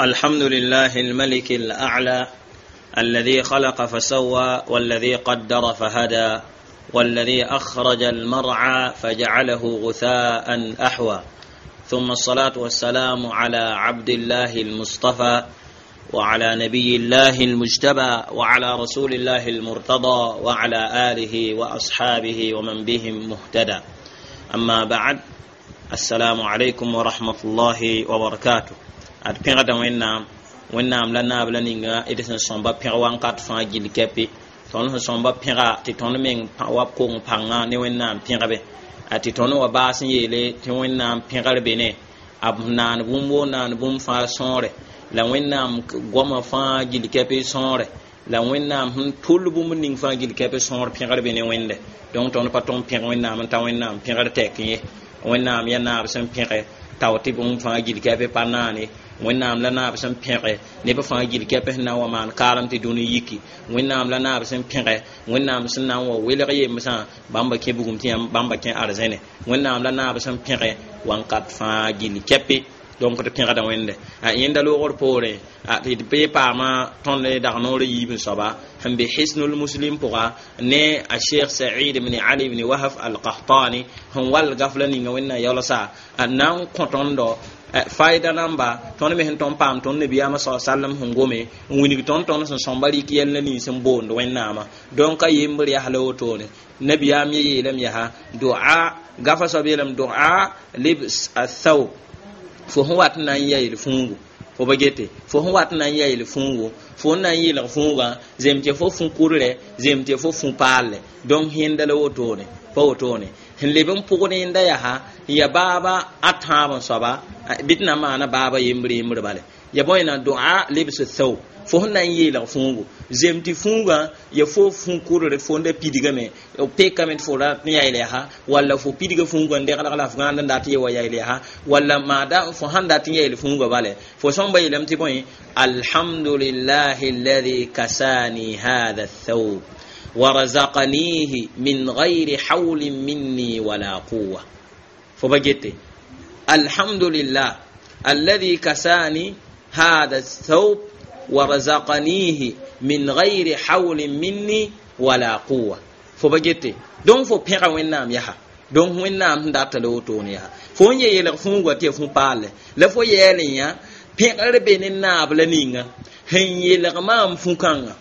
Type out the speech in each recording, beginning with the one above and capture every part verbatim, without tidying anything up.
الحمد لله الملك الأعلى الذي خلق فسوى والذي قدر فهدى والذي أخرج المرعى فجعله غثاء أحوى ثم الصلاة والسلام على عبد الله المصطفى وعلى نبي الله المجتبى وعلى رسول الله المرتضى وعلى آله وأصحابه ومن بهم مهتدى أما بعد السلام عليكم ورحمة الله وبركاته ad pẽgda wẽnnaam wẽnnaam la naab la ninga d sẽn sõmba pẽg wãnkat fãa gill kɛpe tõnd sẽn sõmba pẽga tɩ tõnd meng wa kong pãnga ne wẽnnaam pẽgbe a tɩ tõnd wa baas n yeele tɩ wẽnnaam pẽgr be ne b naan bũmb woo naan bũmb fãa sõore la wẽnnaam goama fãa gill kɛpe sõore la wẽnnaam sẽn tʋll bũmb ning fãa gill kɛpe sõor pẽgr be ne wẽnde donc tõnd pa tõnd pẽg wẽnnaam n ta wẽnnaam pẽgr tɛk ye wẽnnaam yaa naab sẽn pẽge tao tɩ bũmb fãa gill kɛpe pa naane wẽnnaam la naab sẽn pẽge neb fãa gill kɛp sẽn na n wa maan kaalem tɩ dũni yiki wẽnnaam la naab sẽn pẽge wẽnnaam sẽn na n wa welg yemsã bãmba kẽ bugum tɩ bãmba kẽ arzẽne wẽnnaam la naab sẽn pẽge wãnkat fãa gill kɛpe donc tɩ pẽgda wẽnde a yẽnda loogr poorẽ tɩ d bee paama tõnd dag noor yiib n soaba sẽn be hisnul muslim pʋga ne a sheikh said ibn ali ibn wahaf al-qahtani sẽn wall gafla ninga wẽnna yaolsa a na n kõ tõndo faida namba tõnd me sẽn tõnd paam tõnd nabiyaamã sa sallam sẽn gome n wilg tõnd tõnd sẽn sõmba rɩk yɛl la nins n boond wẽnnaamã donc a yembr yaa la wotone nabiyaam ye yeelame yaa doa gafa soab yeelame doa libs athawb fo sẽn wat n na n yayl fũugu fo ba gete fo sẽn wat n na n yayl fũugu fo n na n yɩlg fũugã zem tɩ fo fũ kurre zem tɩ fo fũ paalle donc yẽnda la wotone pa wotone sẽn leb n pʋgd yẽnda yaa ya baaba a tãab n soaba bɩ tɩ na n maana baaba yembr yembr bale ya bõe na doa lebs thawb fo sẽn na n yeelg fũugu zem tɩ fũugã ya fo fũ kurr fo n da pidgame pekame tɩ fo rat n yayl yaa walla fo pidga fũugã n deglg la f gãand n dat ye wa yayl yaa walla maada fo sãn dat n yayl fũugã bale fo sõmba yeelame tɩ bõe alhamdulillahi alladhi kasani hadha athawb ورزقنيه من غير حول مني ولا قوة فبجت الحمد لله الذي كساني هذا الثوب ورزقنيه من غير حول مني ولا قوة فبجت دون فو بيغا وينام يها donc wẽnnaam sẽn data la wotone yaa fo n ye yelg fũugã tɩ ya fũ paalle la fo yɛɛl n yã pẽgr be ne naab la ninga sẽn yelg maam fũ-kãngã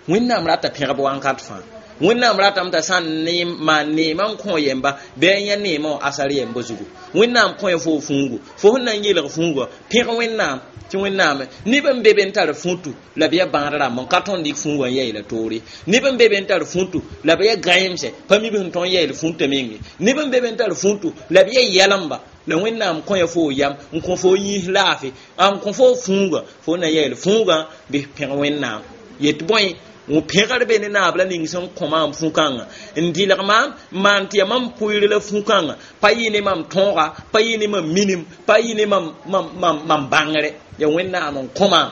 wẽnnaam rata pẽgb wãnkat fãa wẽnnaam ratame t'a sã n maan neemã n kõ yemba bɩ a yã neemã wã asar yemba zugu wẽnnaam kõ ya fo fũugu fo sẽn na n yelg fũugã pẽg wẽnnaam tɩ wẽnnaam neb n be be n tar fũtu la b yaa bãad rãmb n ka tõnd dɩk fũugã n yɛɛla toore neb n be be n tar fũtu la b yaa gãeemsɛ pa mi b sẽn tõnd yɛɛl fũtã menge neb n be be n tar fũtu la b yaa yɛlemba la wẽnnaam kõ ya fo yam n kõ fo yĩs laafɩ n kõ fo fũugã fo na yɛɛl fũugã bɩ pẽg wẽnnaam yet bõe pẽgr be ne naab la ning sẽn kõ maam fũ-kãngã n dɩlg maam n maan tɩ yaa mam pʋɩr la fũ-kãngã pa yɩ ne mam tõoga pa yɩ ne mam minim pa yɩ ne mam mam mam bãngre yaa wẽnnaam n kõ maam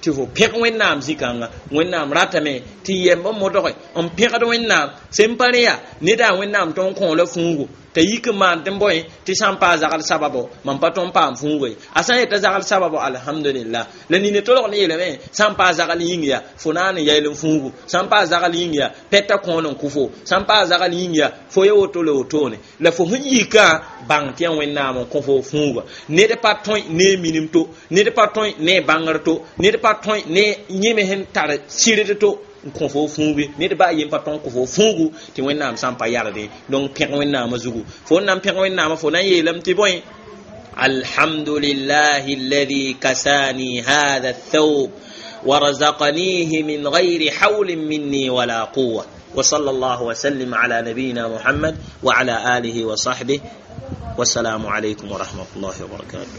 tɩ fo pẽg wẽnnaam zĩ-kãnga wẽnnaam ratame tɩ yɛmb n modge n pẽgd wẽnnaam sẽn pa rẽ yaa neda wẽnnaam tõnd kõ la fũugo t'a yik n maan tɩ n bõe tɩ sã n paa zagl sababo mam pa tõnd paam fũugo ye a sã n yeta zagl sababo alhamdulillah la nina tolg ne yeelame sã n paa zagl yĩng yaa fo naan n yayl n fũugu sã n paa zagl yĩng yaa pɛta kõon n kʋ fo sã n paa zagl yĩng yaa fo ya woto la wotone la fo sẽn yikã bãng tɩ yaa wẽnnaam n kõ fo fũuga ned pa tõe ne minim to ned pa tõe ne bãngr to ned pa tõe ne yẽme sẽn tar sɩrd to n kõ fo fũuge ned baa yen pa tõn kõ fo fũugu tɩ wẽnnaam sã n pa yardẽ donc pẽg wẽnnaamã zugu fo n na n pẽg wẽnnaamã fo na n yeelame tɩ bõe alhamdulillahi alladhi kasani hadha athawb ورزقنيه من غير حول مني ولا قوة وصلى الله وسلم على نبينا محمد وعلى آله وصحبه والسلام عليكم ورحمة الله وبركاته.